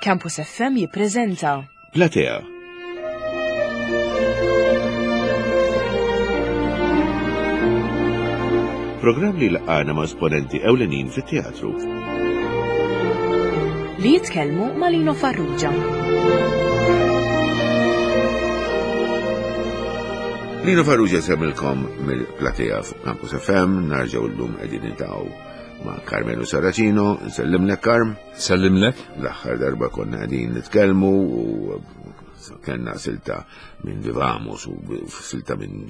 Campus FM jippreżenta Platea. Programm li laqana ma' esponenti ewlenin fit-teatru. Li jitkellmu ma' Lino Farrugia. Lino Farrugia semmilkom mill-platea fuq Campus FM, narġaw l-lum qegħdin niltaqgħu ma' Carmelo Saracino, nsellimlek Karm. Sellimlek. L-aħħar darba konna qegħdin nitkellmu u kellna silta minn Vivamus u silta minn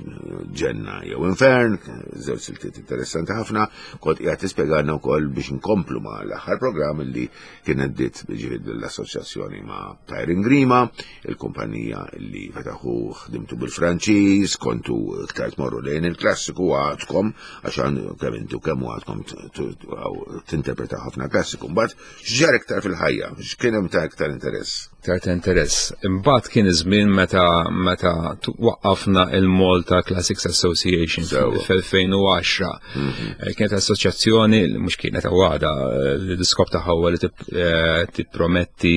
Ġenna jew Infern, żewġ siltiet interessanti ħafna, kont qiegħed tispjegalna wkoll biex nkomplu ma' l-aħħar programm li kienet bdiet ġifieri l-assoċjazzjoni ma' Tyrin Grima, il-kumpanija li fetaħu ħdimtu bil-Franċiż, kontu iktar tmorru lejn il-klassiku għadkom, għax kemm intu kemm għadkom tinterpreta ħafna klassiku. Mbagħad x'ġar iktar fil-ħajja, x'kien hemm ta' iktar interess? Iktar ta' interess. Imbagħad kien iż-żmien meta meta waqqafna il-Malta Classics Association fl-2010. Mhm. Eh, kienet assoċjazzjoni mhux kienet għada eh, li l-iskop tagħha huwa li eh, tipprometti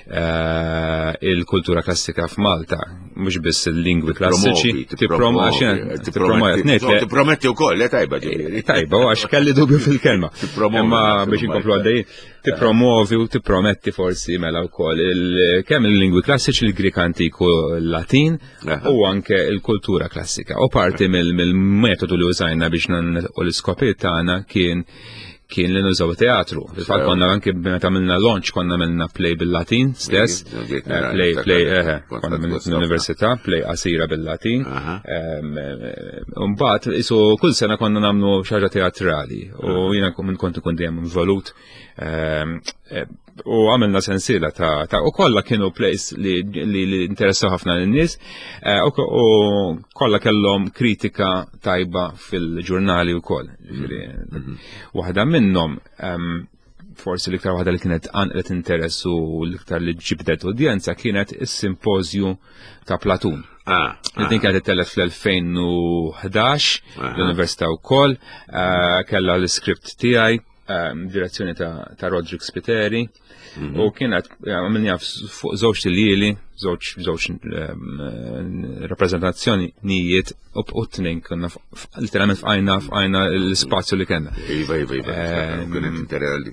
Eh, il-kultura klassika f'Malta, mhux biss il-lingwi klassiċi, tipprometti wkoll, eh, tajba ġifieri. Eh, tajba, għax kelli dubju fil-kelma. Imma biex inkomplu għaddej, tippromovi u tipprometti forsi mela wkoll kemm il-lingwi klassiċi, il-Grik antiku, l-Latin u anke il-kultura klassika. U parti mill-metodu li użajna biex u l-iskopijiet tagħna kien kien li nużaw teatru. Fil-fatt konna anke meta għamilna launch konna għamilna play bil-Latin stess. Eh, play, play, eh, eh, konna mill-università, play qasira bil-Latin. Mbagħad isu kull sena konna nagħmlu xi ħaġa teatrali u jiena kont ikun dejjem involut u għamilna sensiela ta' ta' u kollha kienu plays li, li, li interessaw ħafna lin-nies eh, u, u kollha kellhom kritika tajba fil-ġurnali wkoll. Ġifieri, mm -hmm. Waħda minnhom um, forsi l-iktar waħda li kienet għanqlet interess u l-iktar li ġibdet udjenza kienet is-simpożju ta' Platun. Ah, ah. Din kienet ittellet fl-2011 l-Università wkoll, eh, kellha l-iskript tiegħi Ehm, direzzjoni ta', ta Roderick Spiteri mhm. u kienet eh, għamilni fuq żewġ tiljieli, żewġ żewġ ehm, rappreżentazzjoni nijiet u t-tnejn konna literalment fqajna fqajna l-spazju li kellna. Iva, iva, iva. Ehm,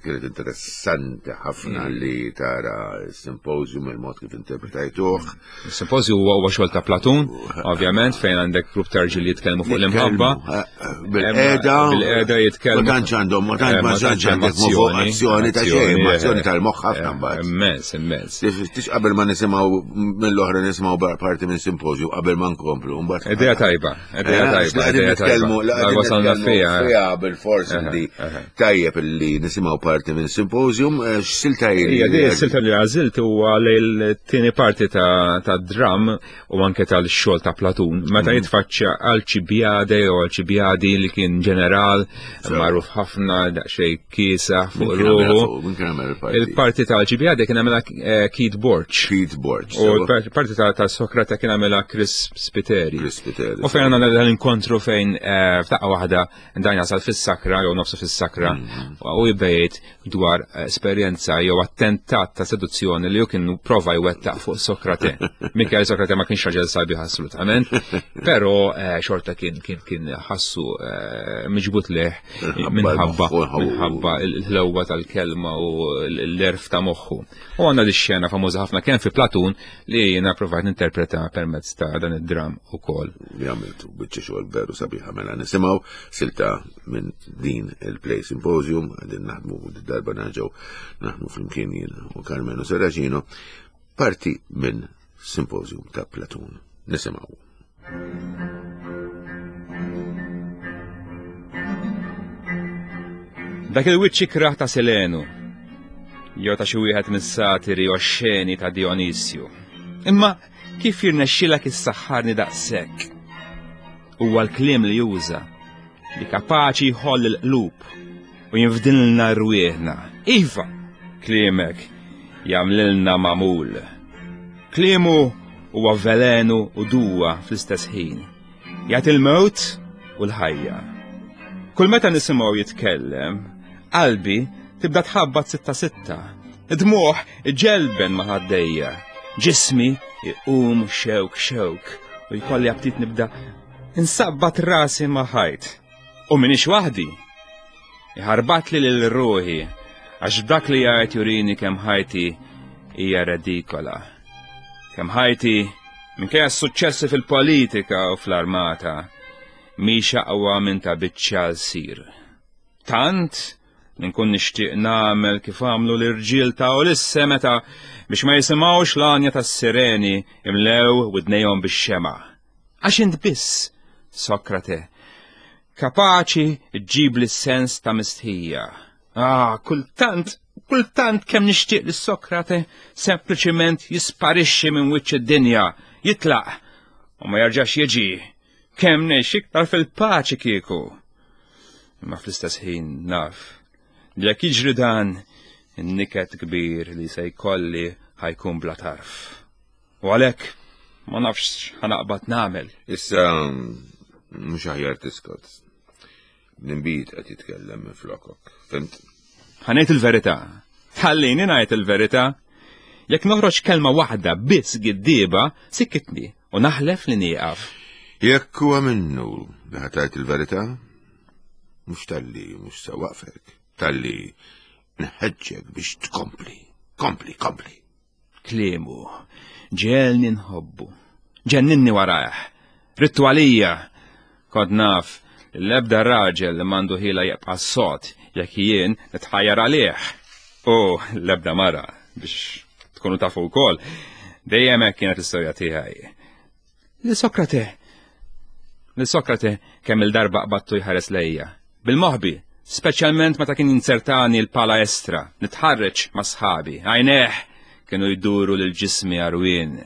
kienet interessanti ħafna li tara s-simposium il-mod kif interpretajtuh. Is-simpożju huwa huwa xogħol ta' Platun, ovvjament, fejn għandek grupp ta' rġiel jitkellmu fuq l-imħabba. Eh, eh, bil-qeda. Bil-qeda jitkellmu. Ma tantx għandhom, ma tantx ma tantx għandek azzjoni ta' xejn, azzjoni tal-moħħ ħafna mbagħad. Immens, immens. Tix qabel ma nisimgħu mill-oħra nisimgħu parti minn simpożju qabel ma nkomplu mbagħad. Idea tajba, idea eh, tajba. Qegħdin nitkellmu, wasalna fiha bil-fors li Tajjeb li nisimgħu parti minn symposium, eh, x'silta hi? Ija, di silta li għażilt huwa lejl tieni parti ta' dram u anke tal-xogħol ta' Platun. Meta mhm. jitfaċċa Alcibiade u Alcibiadi li kien ġeneral magħruf ħafna daqsxejn kiesa fuq ruħu. Il-parti ta' Alcibiade kien għamilha eh, Keith Borch. Keith Borch. U l-parti ta' Sokrate kien għamilha Chris Spiteri. Chris Spiteri. U fejn għandna l-inkontru fejn eh, f'daqqa waħda Dan jasal fis-sakra jew nofsu fis-sakra mm. u jibda dwar esperjenza jew attentat ta' seduzzjoni li hu kien prova jwettaq fuq Sokrate. Minkejja Sokrate ma kienx raġel sabiħ assolutament, però eh, xorta kien kien kien ħassu eh, miġbut leħ minħabba minħabba l-ħlewwa tal-kelma u l-erf ta' moħħu. U għandna di xena famuża ħafna kemm fi Platun li jiena provajt ninterpreta permezz ta' dan id-dram ukoll. Li għamiltu biċċa xogħol veru sabiħa mela nisimgħu silta minn din il-Play Symposium għadin naħdmu darba nerġgħu naħdmu flimkien jiena u Carmelo Serracino parti minn Symposium ta' Platun. Nisimgħu. Dak il-wiċċ ikrah ta' Selenu, jew ta' xi wieħed mis-satiri oxxeni ta' Dionisju. Imma kif jirnexxilek issaħħarni daqshekk? Huwa l-kliem li juża li kapaċi jħoll il-qlub u jinfdilna rwieħna. Iva, kliemek jagħmlilna magħmul. Kliemu huwa velenu u duwa fl-istess ħin. Jagħti l-mewt u l-ħajja. Kull meta nisimgħu jitkellem, qalbi tibda tħabbat sitta sitta. Dmuħ ġelben ma' ħaddejja. Ġismi iqum xewk xewk u jkolli aptit nibda insabbat rasi ma' ħajt. U minix waħdi. Iħarbatli lil ruħi għax dak li jgħid jurini kemm ħajti hija redikola. Kemm ħajti minkejja s-suċċessi fil-politika u fl-armata mhix aqwa minn ta' biċċa sir. Tant li nkun nixtieq nagħmel kif għamlu l-irġiel ta' Ulisse meta biex ma jisimgħux l-għanja tas-sireni imlew widnejhom bix-xema. Għax int biss, Sokrate, kapaċi ġġib li sens ta' mistħija. Ah, kultant, kultant kemm nixtieq li Sokrate sempliċiment jisparixxi minn wiċċ id-dinja, jitlaq u ma jerġax jiġi. Kemm ngħix iktar fil-paċi kieku. Imma fl-istess ħin naf li jekk jiġri dan, in-niket kbir li se jkolli ħajkun bla tarf. U għalhekk ma nafx ħanaqbad nagħmel. Issa mhux aħjar tiskot. L-inbid qed jitkellem minn flokok, fimt? Ħanejt il-verità. Ħallini ngħid il-verità. Jekk noħroġ kelma waħda biss giddieba, sikkitni u naħlef li nieqaf. Jekk huwa minnu li ħatajt il-verità, mhux talli mhux se waqfek, talli nħeġġek biex tkompli, kompli, kompli. Kliemu, ġelni nħobbu, ġenninni warajh, rittu għalija. Kont naf l-ebda raġel li mandu ħila jibqa' sod jekk jien nitħajjar għalih. U l-ebda mara biex tkunu tafu wkoll, dejjem hekk kienet l-istorja tiegħi. Li Sokrate, li Sokrate kemm il-darba qbattu jħares lejja. Bil-moħbi, speċjalment meta kien jinzertani l-pala estra, nitħarreġ ma' sħabi, għajneh kienu jduru lil ġismi għarwien.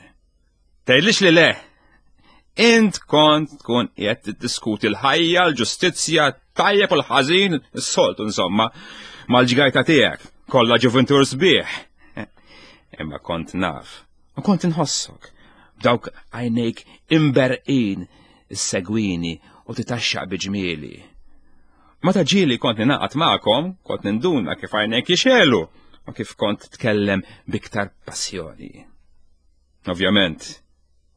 Tgħidlix li le! Int kont tkun qiegħed tiddiskuti l-ħajja, l-ġustizzja, tajjeb u l-ħażin, is-soltu insomma, mal-ġgajta tiegħek, kollha ġuventur sbieħ. Imma kont naf U kont inħossok, b'dawk għajnejk imberqin issegwini u titaxxaq bi ġmieli. Meta ġieli kont ninaqat magħkom, kont ninduna kif għajnejk jixelu u kif kont tkellem biktar passjoni. Ovvjament,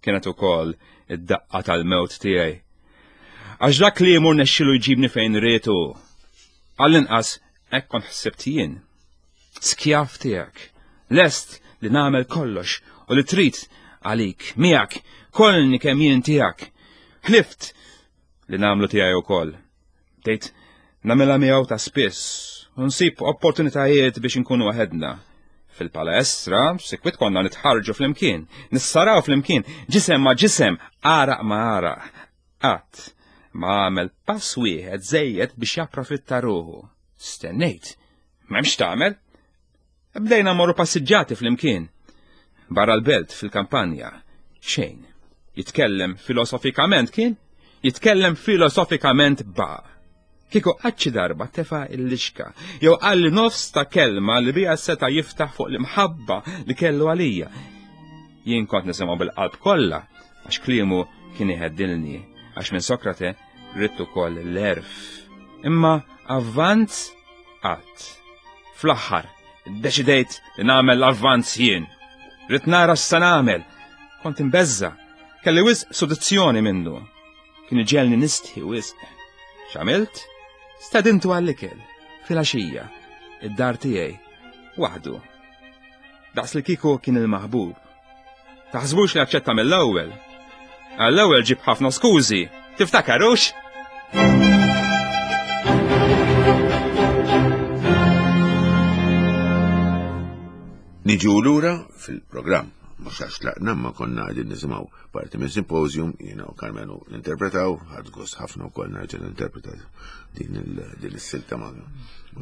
kienet ukoll id-daqqa tal-mewt tiegħi. Għax dak li jmur nexxilu jġibni fejn rietu. Għall-inqas hekk kont ħsibt jien. Skjav tiegħek, lest li nagħmel kollox u li trid għalik, miegħek, kollni kemm jien tiegħek. Ħlift li nagħmlu tiegħi wkoll. Bdejt nagħmilha miegħu ta' spiss u nsib opportunitajiet biex inkunu waħedna. Fil-palestra, sikwit konna nitħarġu flimkien, nissaraw flimkien, ġisem ma' ġisem, għaraq ma' għaraq. Qatt ma għamel pass wieħed żejjed biex japprofitta ruħu. Stennejt. M'hemmx tagħmel. Bdejna morru passiġġati flimkien. Barra l-belt fil-kampanja. Xejn. Jitkellem filosofikament kien? Jitkellem filosofikament ba. Kieku qatt darba tefa il-lixka, jew qalli nofs ta' kelma li bija seta' jiftaħ fuq l-imħabba li kellu għalija. Jien kont nisimgħu bil-qalb kollha, għax kliemu kien iħeddilni, għax minn Sokrate ridt ukoll l-erf. Imma avvanz qatt. Fl-aħħar, iddeċidejt li nagħmel l-avvanz jien. Ridt nara x'se nagħmel. Kont imbeżża'. Kelli wisq sodizzjoni minnu. Kien iġegħelni nistħi wisq. X'għamilt? Stedintu għall-ikel, filgħaxija, id-dar tiegħi, waħdu. Daqs li kieku kien il-maħbub. Taħsbux li aċċetta mill-ewwel. Għall-ewwel ġib ħafna skużi, tiftakarux? Niġu lura fil-programm, mhux għax tlaqna ma konna qegħdin nisimgħu parti minn symposium, jiena u Karmenu ninterpretaw, ħadd gost ħafna wkoll nerġa' ninterpreta din is-silta ma'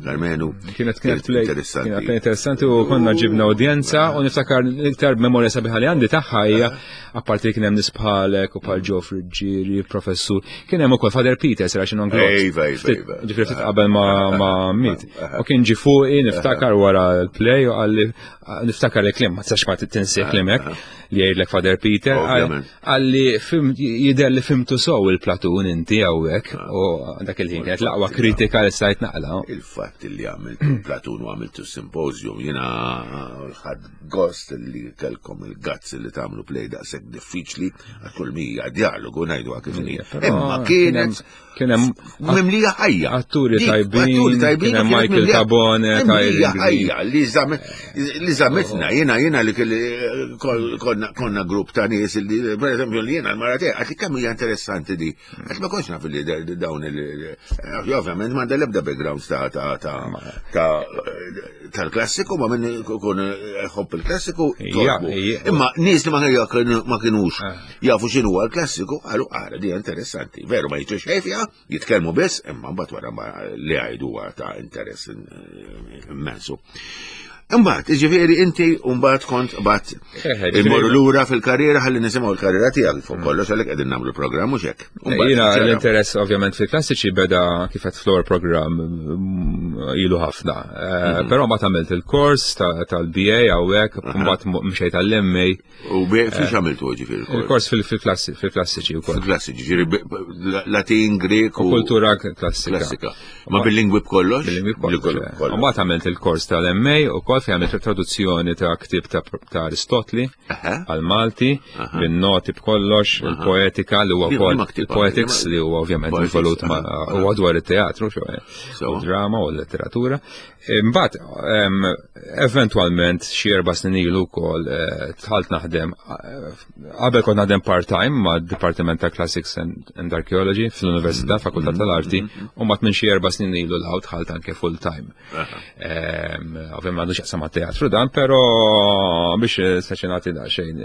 Karmenu. Kienet kienet interessanti. Kienet interessanti u konna ġibna udjenza u niftakar iktar memorja sabiħa li għandi tagħha hija apparti li kien hemm nies bħalek u bħal Joe Friggieri, professur, kien hemm ukoll Father Peter sera xi non Iva, iva, iva. Ġifieri ftit qabel ma miet. U kien ġi fuqi niftakar wara l-play u qalli niftakar li kliem ma tistax ma tinsih kliem hekk. li jgħidlek Father Peter, għalli jidher li fimtu sow il-Platun inti hawnhekk ah. u dak il-ħin kienet l-aqwa kritika li stajt naqla. Il-fatt li għamiltu Platun u għamiltu symposium jiena ħadd gost li kelkom il-gazz li tagħmlu play daqshekk diffiċli għal kull mija dialogu ngħidu kif Imma kienet Kien hemm mimlija ħajja. Atturi tajbin, atturi tajbin, kien hemm Michael Tabone, mimlija ħajja li żamitna jiena jiena li konna grupp ta' nies li pereżempju li jiena l-mara tiegħi għad kemm hija interessanti di. Għax ma kontx naf li dawn il ovvjament m'għandha l-ebda background ta' ta' ta' tal-klassiku ma minn kun ħobb il-klassiku. Imma nies li ma kienux eh. jafu x'inhu l-klassiku qalu ara di interessanti. Veru ma jiġu xejn fiha, jitkellmu biss, imma mbagħad wara li għajdu huwa ta' interess immensu. Imbagħad, jiġifieri inti mbagħad kont bat eh, eh, immorru lura fil-karriera ħalli nisimgħu l-karriera tiegħek fuq mm. kollox għalhekk qegħdin nagħmlu programm mhux hekk. Jiena l-interess ovvjament fil-klassiċi beda kif qed floor programm mm, ilu ħafna. Eh, mm-hmm. Però mbagħad għamilt il-kors tal-BA hawnhekk, mbagħad mxejt għall-MA. U fiex għamiltu ġifieri? Il-kors fil-klassiċi wkoll. Fil-klassiċi, ġifieri Latin, Grek u kultura klassika. Klassika. Ma bil-lingwi b'kollox? Bil-lingwi b'kollox. Eh. U mbagħad għamilt il-kors tal-MA u kol fejn għamilt traduzzjoni ta' ktieb ta' Aristotli għal-Malti, bin-noti b'kollox, il-poetika li huwa wkoll il-poetics li huwa ovvjament involut ma' huwa dwar it-teatru, u drama u l-letteratura. Imbagħad eventwalment xi erba' snin ilu wkoll eh, dħalt naħdem eh, qabel kont naħdem part-time ma' Dipartiment ta' Classics and Archaeology fl-Università mm-hmm. Fakultà tal-Arti mm-hmm. u mbagħad minn xi erba' snin ilu l dħalt anke full-time. Ovvjament m'għandux jaqsam mat-teatru dan, però biex eh, saċi nagħti daqsxejn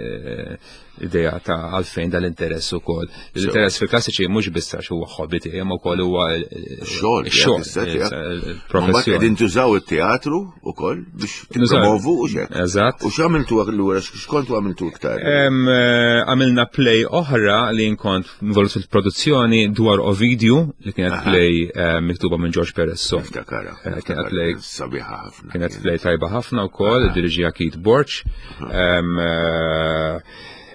idea ta' għalfejn dal-interess ukoll. L-interess fil-klassiċi mhux biss għax huwa hobby tiegħi, imma wkoll huwa xogħol, xogħol, professjoni. Qegħdin tużaw it-teatru ukoll biex tippromovu u xek. Eżatt. U x'għamiltu allura x'kontu għamiltu iktar? Eh, għamilna play oħra li nkont involut fil-produzzjoni dwar Ovidiu li kienet play eh, miktuba minn George Peresso. Niftakara. Eh, kienet play sabiħa ħafna. Kienet play tajba ħafna wkoll, diriġija Keith Borch. Eh,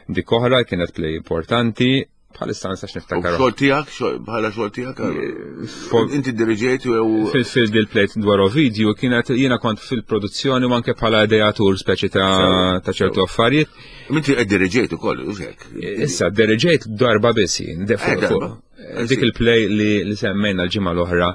dik oħra kienet play importanti, bħalissa nistax niftakar. Xogħol tiegħek, bħala xogħol tiegħek? Eh, inti diriġejt u Fil-dil plate dwar video kienet jiena kont fil-produzzjoni u anke bħala ideatur speċi ta' ċertu affarijiet. Inti qed diriġejt ukoll, u hekk. Issa diriġejt darba biss jien, dik il-play li semmejna l-ġimgħa l-oħra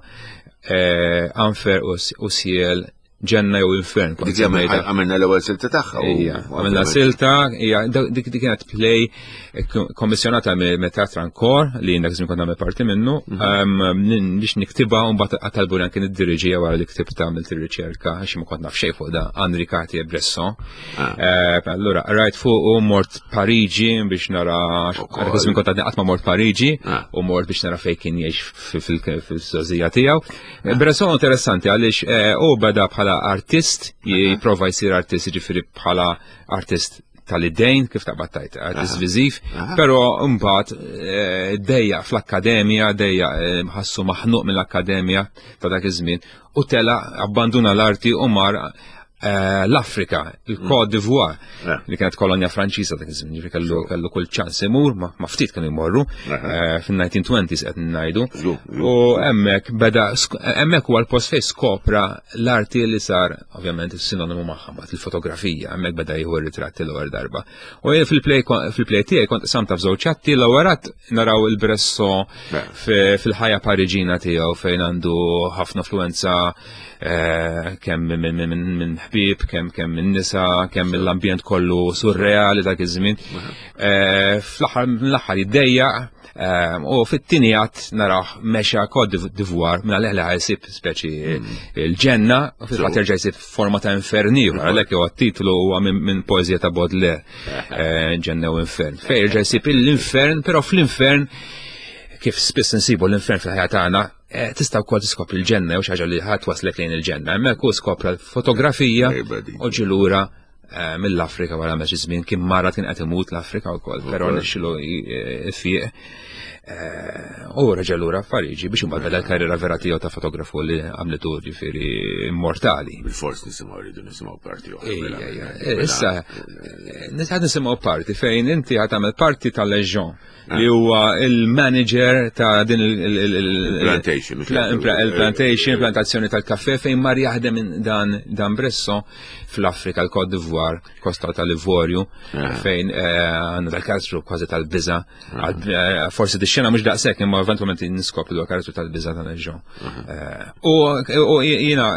Anfer u Siel ġenna jew infern. Dik għamilna l-ewwel silta tagħha. Ija, għamilna silta, hija dik kienet play eh, kommissjonata me Teatran Kor li jien dak kont nagħmel parti minnu mhm. biex niktibha u mbagħad qatalbu li anke niddiriġija wara li ktibta għamilt ir-riċerka għax ma kont naf xejn fuq da Henri Cartier Bresson. Ah. Eh, allura rajt fuq u mort Pariġi biex nara dak iż-żmien kont għadni qatt ma mort Pariġi ah. u mort biex nara fejn kien jgħix fil-żgħożija tiegħu. Eh, Bresson interessanti għaliex eh, u beda bħala artist, jipprova jsir artist jiġifieri bħala artist tal-idejn, kif taqbad tajt, artist viżiv, però mbagħad eh, dejja fl-akkademja, dejja ħassu maħnuq mill-akkademja ta' dak iż-żmien u tela abbanduna l-arti u mar Eh, l-Afrika, il-Côte d'Ivoire, eh. li kienet kolonja Franċiża dak iż-żmien, ġifieri kellu kellu kull ċans imur, ma ftit kienu jmorru, eh, fin-1920s qed ngħidu. U hemmhekk beda hemmhekk huwa l-post fejn skopra l-arti li sar ovvjament is-sinonimu magħha mbagħad il-fotografija, hemmhekk beda jieħu r-ritratti l-ewwel darba. U jien fil-play fil-play tiegħi kont samta f'żewġ atti l-ewwel naraw il-Bresso fil-ħajja Pariġina tiegħu fejn għandu ħafna influenza Eh, kemm minn ħbieb, kemm kemm minn nisa, kemm mill-ambjent kollu surreali dak iż-żmien. Eh, fl-aħħar mill-aħħar jiddejjaq eh, u fit-tieni għadd naraw mexa Côte d'Ivoire minn għalih li ħajsib speċi mm. il-ġenna u fil-fatt jerġa' jsib forma ta' infern ieħor għalhekk huwa titlu huwa minn poeżija ta' Baudelaire ġenna u infern. Fejn jerġa' jsib l-infern, però fl-infern kif spiss insibu l-infern fil-ħajja tagħna Eh, tista' wkoll tiskopri l-ġenna jew xi ħaġa li ħadd waslek lejn il-ġenna. Hemmhekk hu skopra l-fotografija u ġi lura eh, mill-Afrika wara xi żmien kien mara kien qed imut l-Afrika wkoll, però nexxilu jfiq. Eh, u reġa' lura f'Pariġi biex imbagħad beda l-karriera vera tiegħu ta' fotografu li għamlitu ġifieri immortali. Bil-fors nisimgħu rridu nisimgħu parti oħra. Mela. Eh, issa, eh, nisimgħu parti fejn inti ħad tagħmel parti tal-Leġjon li huwa il-manager ta' din il-plantation. Il-plantation, plantazzjoni tal-kafe fejn mar jaħdem dan dan Bresso fl-Afrika, l-Côte d'Ivoire, Kosta tal-Ivorju, ah. fejn eh, għandna dal-karattru kważi tal-biża. Ah. Eh, forsi di xena mhux daqshekk imma eventwalment niskopri dwar karattru tal-biża ta' Leġjon. Ah. Eh, u jiena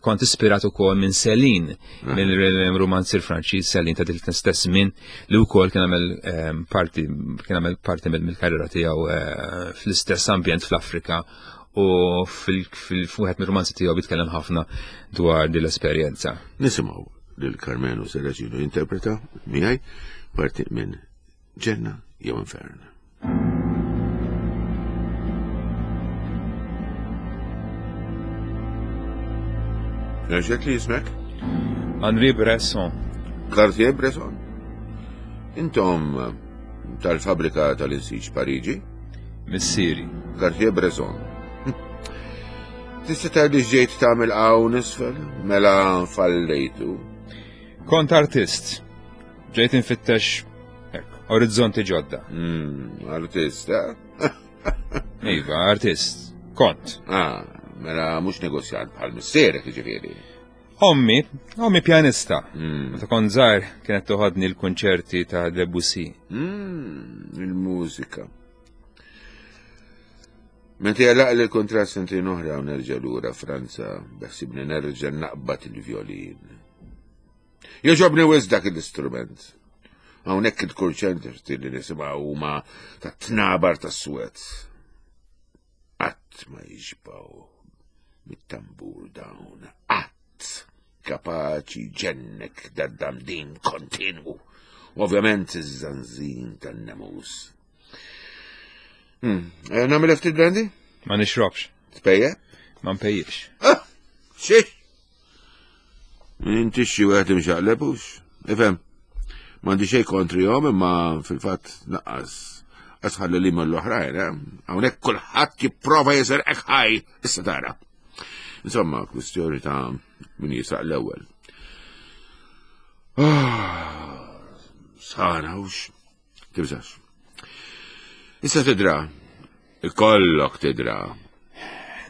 kont ispirat ukoll minn Celine, mill-romanzir Franċiż Celine ta' dil stess minn li wkoll kien għamel ehm, parti kien għamel parti mill-karriera tiegħu eh, fl-istess ambjent fl-Afrika u fil-wieħed mir-romanzi tiegħu jitkellem ħafna dwar din l-esperjenza. Nisimgħu lil Carmelo Serracino jinterpreta miegħi parti minn Ġenna jew Infern. Nerġek li jismek? Henri Bresson. Cartier Bresson. Intom tal-fabrika tal-insiġ Pariġi? Missieri. Cartier Bresson. Tista' tgħid li ġejt tagħmel hawn isfel mela fallejtu. Kont artist. Ġejt infittex hekk, orizzonti ġodda. Mm, artist, eh? Iva, artist. Kont. Ah, mela mhux negozjant bħal missierek jiġifieri. Ommi, ommi pjanista. Mm. Meta kont żgħir kienet toħodni l-kunċerti ta' Debussy. Mm, il-mużika. Meta jalaq li l-kontrast sentejn oħra u nerġa' lura Franza, beħsibni nerġa' naqbad il-vjolin. Joġobni wis dak l-istrument. Hawnhekk il-kurċenti li nisimgħu huma ta' tnabar ta' swed. Qatt ma jixbaw mit-tambur dawn, qatt kapaċi ġennek dad-damdin kontinwu. Ovvjament iż-żanżin tan-nemus. Hmm, eh, nagħmel ftit brandy? Ma nixrobx. Tpejjeb? Ma npejjibx. Ah, xiex? Inti xi wieħed imxaqleb hux. Ifhem, m'għandi xejn kontrihom imma fil-fatt naqqas asħalli li mill-oħrajn, eh? Hawnhekk kulħadd jipprova jiserqek ħaj, issa tara. Insomma, kwistjoni ta' min jisaq l-ewwel. Ah, sana hux. Tibżax. Issa tidra. Ikollok tidra.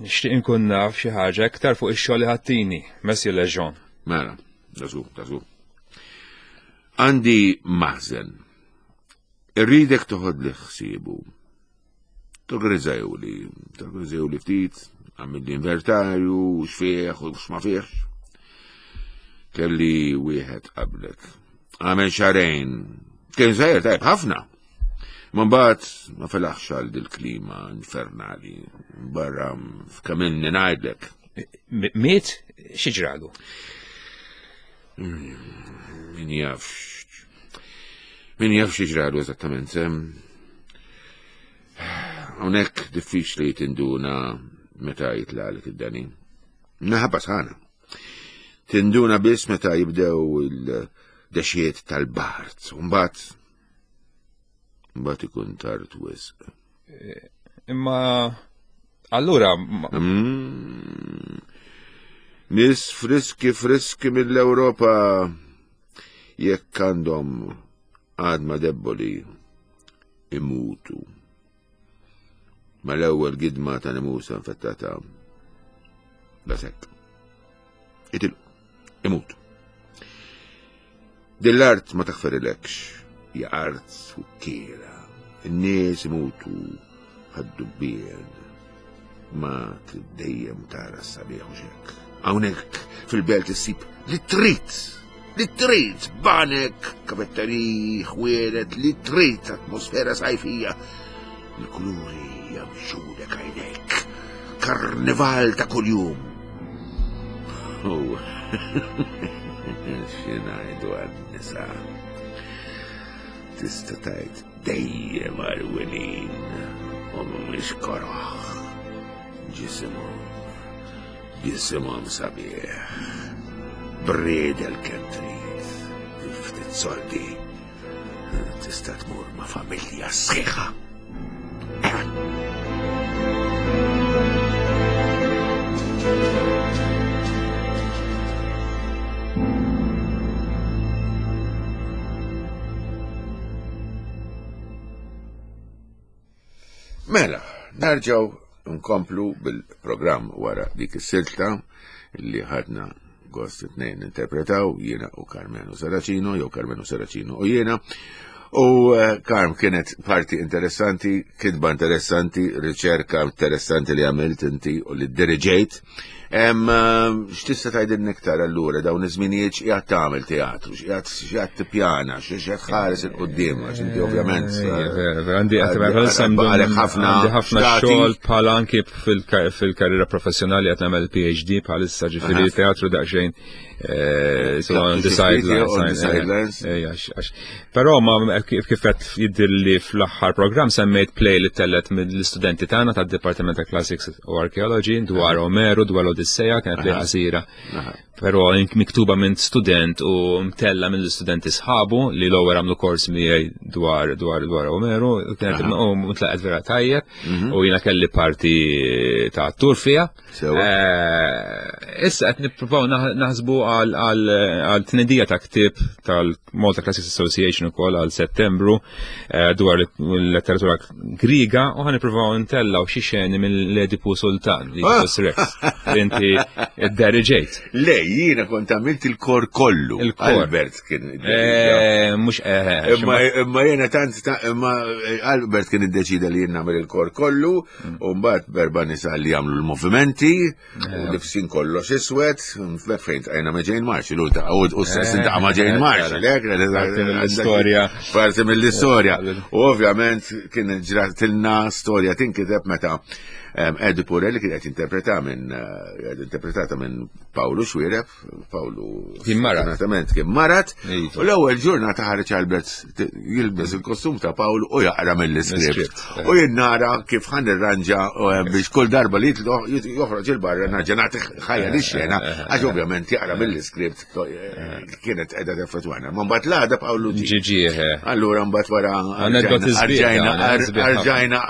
Nixtieq inkun naf xi ħaġa iktar fuq ix-xogħol li ħattini, Messi Leġon. Mela, dażu, dażu. Għandi maħżen. Irridek toħod li ħsiebu. Torganizzajuli, torganizzajuli ftit, għamil l-inventarju, xfieħ u x'ma fieħ. Kelli wieħed qablek. Għamel xarejn. Kien sejjer tajb ħafna. Ma mbagħad ma felaħx għal dil-klima infernali. Barra f'kemm ngħidlek. Miet xi ġralu? Min jaf. Min jaf xi ġralu eżattament. Hawnhekk diffiċli tinduna meta jitlaqlek id-dani. Naħba sħana. Tinduna biss meta jibdew il-dexiet tal-bart. Mbagħad mbagħad ikun tard wisq. Eh, imma allura mm. Nis friski friski mill-Ewropa jekk għandhom għadma debboli imutu. Mal-ewwel gidma ta' nemusa infettata dasek. Itilqu, imutu. Din l-art ma taħferilekx, hija art sukkiera. In-nies imutu ħad-dubbien. Ma trid dejjem tara s-sabiħ u xek. Hawnhekk fil-belt issib li trid, li trid banek, kafetteriji, ħwienet, li trid atmosfera sajfija. Il-kuluri jamxulek għajnejk. Karnival ta' kuljum. Oh, xinajdu għan-nisa. Tista' tajt dejjem għal-winin u mhumiex koroħ. Ġisimhom, ġisimhom sabiħ. Briedel kemm trid, ftit soldi tista' tmur ma' familja sħiħa. Mela, nerġgħu nkomplu bil-programm wara dik is-silta li ħadna gost it-tnejn interpretaw jiena u Carmenu Saracino jew Carmenu Saracino u jiena. U eh, Karm kienet parti interessanti, kitba interessanti, riċerka interessanti li għamilt inti u li diriġejt. Eh, x'tista' tgħidilna iktar allura dawn iż-żminijiet x'qiegħed tagħmel teatru, x'qiegħed tippjana, x'qiegħed ħares il quddiem għax inti ovvjament. Eh, għandi ħafna ħafna xogħol bħala anki fil-karriera professjonali qed nagħmel PhD bħalissa ġifieri teatru daqsxejn eh, so on the sidelines. Però ma kif qed jidhirli fl-aħħar programm semmejt play li tellet mill-istudenti tagħna tad-Dipartiment ta' Classics u Archaeology dwar Omeru, dwar l-Odisseja, kienet play qasira. Però miktuba minn student u mtella mill-istudenti sħabu li l-ewwel għamlu kors miegħi dwar dwar dwar Omeru, kienet u mtlaqet vera tajjeb mhm. u jiena kelli parti ta' attur fiha. Eh, issa qed nippruvaw naħsbu għal tnedija ta' ktieb tal-Malta Classics Association ukoll għal Settembru eh, dwar l-letteratura Griega u ħan nippruvaw ntellaw xi xeni mill-Edipu Sultan li ah! Rex li inti deriġejt. Le, jiena kont għamilt il-kor kollu. Il-kor. Albert kien. Eh, mhux Imma jiena tant imma Albert kien iddeċida li jien nagħmel il-kor kollu U mbagħad berba nisa li jagħmlu l-movimenti, u libsin kollox iswed, fejn tqajna ma' Jane Marshall, u stess intaqa' ma' Jane Marshall, eh, Parti mill-istorja. Parti mill-istorja. U ovvjament kien ġratilna storja tinkiteb meta Eddie Purelli kien qed interpreta minn eh, interpretata minn Pawlu Xwireb, Pawlu kien marat. Fortunatament kien marat. Iva. U l-ewwel ġurnata ħareġ Albert jilbes il-kostum ta' Pawlu u jaqra mill-iskript. Eh. U jien nara kif ħan irranġa eh, biex kull darba li joħroġ il-barra narġa' nagħti ħajja li xena eh, għax ovvjament jaqra mill-iskript kienet qiegħda teffettwana. Ma mbagħad l-għada Pawlu ġi. Allura mbagħad wara arġajna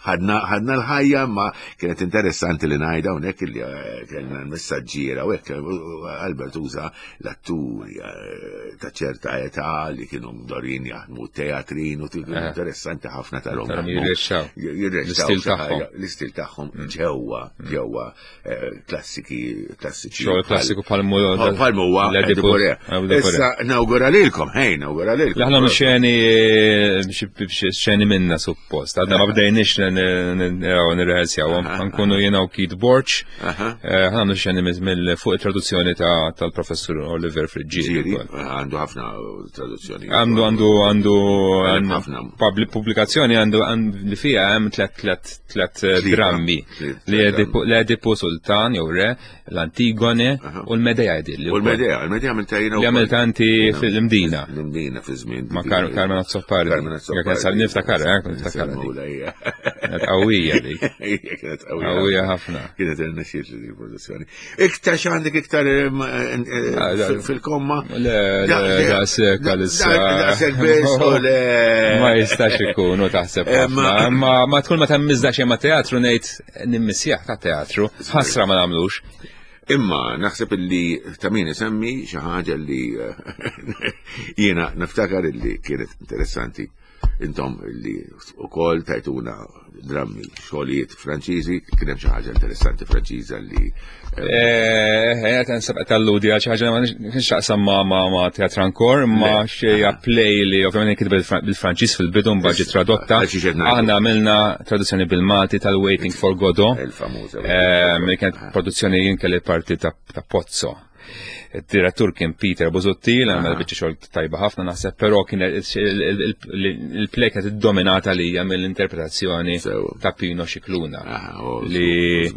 ħadna l-ħajja ma kienet interessanti li ngħidha hawnhekk li eh, kellna l-messaġġiera u hekk eh, Albert uża l-atturi eh, ta' ċerta età li kienu mdorin jaħdmu teatrin u kienu interessanti ħafna tal-hom. Jirrexxaw. L-istil tagħhom mm. ġewwa mm. ġewwa klassiki klassiċi. Xogħol klassiku palmu palmu huwa Issa nawgura lilkom, ħej nawgura lilkom. Aħna xeni xeni minna suppost. Għadna ma bdejniex nirrehersjaw, nkunu jiena u Keith Borch, eh, ħana xeni mill fuq it-traduzzjoni tal-professur Oliver Friggieri. Għandu ħafna traduzzjoni. Għandu għandu għandu pubblikazzjoni għandu li fija hemm tlet tlet tlet eh, drammi li l-Edipu Sultan jew re, l-Antigone u l-Medea jidilli. U l-Medea, l-Medea għamilta jiena. Li għamilta inti fil-Mdina. L-Mdina fi żmien. Ma Carmen Azzopardi. Carmen Azzopardi. Niftakar, eh, niftakar. Kienet qawwija dik. Kienet qawwija. Qawwija ħafna. Kienet irnexxiet li produzzjoni. Iktar x'għandek iktar eh, eh, ah, fil-komma? Le, daqshekk għalissa. Daqshekk biss u le. Ma jistax ikun u taħseb. Eh, ma ma tkun ma temmizda xejn ma teatru ngħid nimmissjaħ ta' teatru, ħasra ma nagħmlux. Imma naħseb illi ta' min isemmi xi ħaġa li jiena niftakar illi kienet interessanti intom li ukoll tajtuna drammi xogħlijiet Franċiżi, kien hemm xi ħaġa interessanti Franċiża li. Eh, eh, qed nsab qed alludi għal xi ħaġa ma nix taqsam ma ma ma teatr ankor, ma xi play li ovvjament kitbet bil-Franċiż fil-bidu mbagħad ġiet tradotta. Aħna għamilna traduzzjoni bil-Malti tal-Waiting for Godot. Il-famuża. Eh, kienet produzzjoni jien kelli parti ta' Pozzo. Id-direttur kien Peter Busuttil, għamel biċċa xogħol tajba ħafna naħseb, però kien il-play kienet iddominata lija mill-interpretazzjoni ta' Pino Xikluna. Li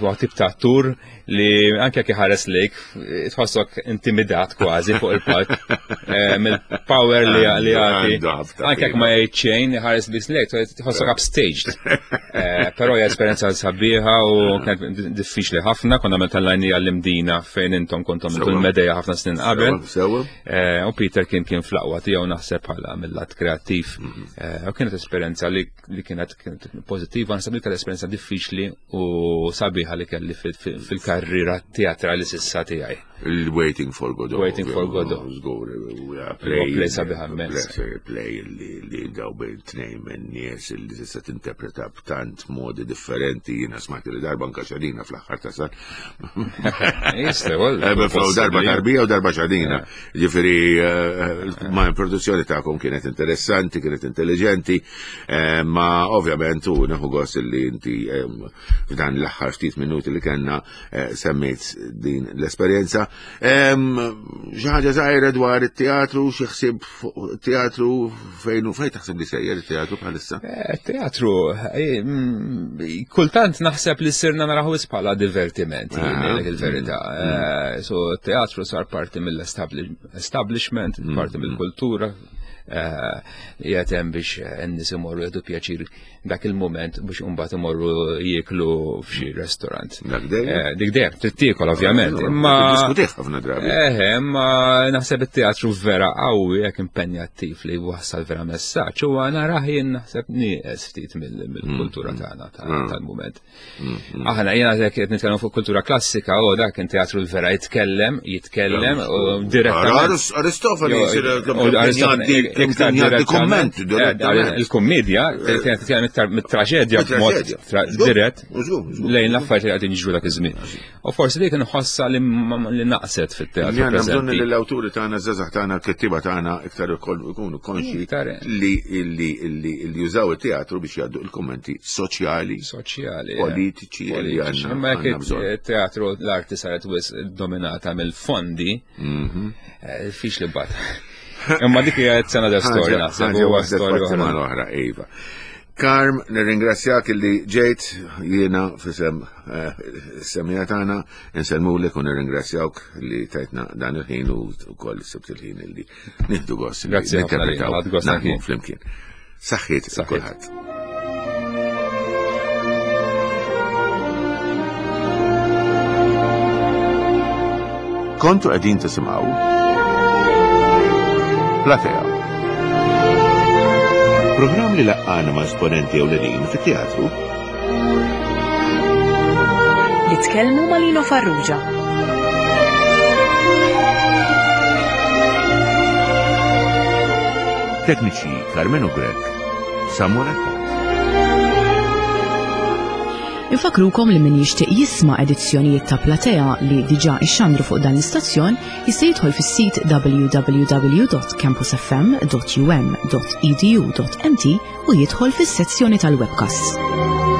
Huwa tip ta' attur li anke jekk iħares lejk tħossok intimidat kważi fuq il-palk eh, mill-power li li jagħti. Anke jekk ma jgħid xejn iħares biss lejk tħossok upstaged. Eh, però hija esperjenza sabiħa u kienet diffiċli ħafna, konna meta l-lajni għall-imdina fejn intom kontom il-medeja ħafna snin qabel. Eh, u Peter kien kien fl-aqwa tiegħu naħseb bħala mill-lat kreattiv. Mm-hmm. U kienet esperjenza li li kienet pozittiva, naħseb li esperjenza diffiċli u sabiħa li kelli fil-karriera teatrali sissa tiegħi. Il-Waiting for Godot. Waiting for Godot. Żgur, play sabiħa immens. Play li daw bejn tnejn minn nies li tista' tinterpreta b'tant modi differenti, jiena smajt li darba anka xadina fl-aħħar ta' sar. Jista' eh, Darba tarbija u darba xadina. Ġifieri eh, ma' produzzjoni tagħkom kienet interessanti, kienet intelligenti, eh, ma ovvjament u neħu gost li inti eh, f'dan l-aħħar ftit minuti li kellna semmejt din l-esperjenza. Xi ħaġa żgħira dwar it-teatru, xi ħsieb fuq teatru fejn u fejn taħseb li sejjer it-teatru bħalissa? Teatru, kultant naħseb li sirna naraħu bħala divertiment, ah. il-verità. Mm. So teatru sar parti mill-establishment, mm. parti mill-kultura, eh, jgħet hemm biex n-nies imorru jgħidu pjaċir dak il-moment biex imbagħad imorru jieklu f'xi restaurant. Dak dejjem? Eh, dik dejjem trid tiekol ovvjament. Imma diskutih ħafna drabi. Eh, imma naħseb it-teatru vera qawwi jekk impenjattiv li wassal vera messaġġ u narah jien naħseb nieqes ftit mill-kultura mm. tagħna mm. tal-mument. Mm, Aħna jiena jekk qed nitkellmu fuq kultura klassika, u dak kien teatru vera jitkellem, jitkellem u direttament. Aristofani iktar komment eh, Il-kummedja kienet titkellem iktar mit-traġedja b'mod dirett lejn l-affarijiet li qegħdin jiġru dak iż-żmien. U forsi dik nħossa li naqset fit-teatru. Għandna bżonn li l-awturi tagħna, żgħażagħ tagħna, l-kittieba tagħna iktar ikunu konxi li li jużaw it-teatru biex jgħaddu il-kommenti soċjali, soċjali, eh. politiċi li għandna. Imma jekk it-teatru l-arti saret wis dominata mill-fondi, mhm. eh, fix li bat. Imma dik hija sena da storja naħseb huwa storja oħra, iva. Karm, nirringrazzjak li ġejt jiena fisem eh, semija tagħna, insellmulek u nirringrazzjawk li tajtna dan il-ħin u wkoll sibt il-ħin li nieħdu gost. Grazzi ħafna, naħdmu flimkien. Saħħiet kulħadd. Kontu qegħdin tisimgħu Platea. Programm li laqqana ma' esponenti ewlenin fit-teatru. Nitkellmu ma' Lino Farrugia. Tekniċi Carmenu Grech, Samuel Attard. Infakrukom li min jixtieq jisma' edizzjonijiet ta' Platea li diġà ixxandru fuq dan l-istazzjon jista' jidħol fis-sit www.campusfm.um.edu.mt u jidħol fis-sezzjoni tal-webcasts.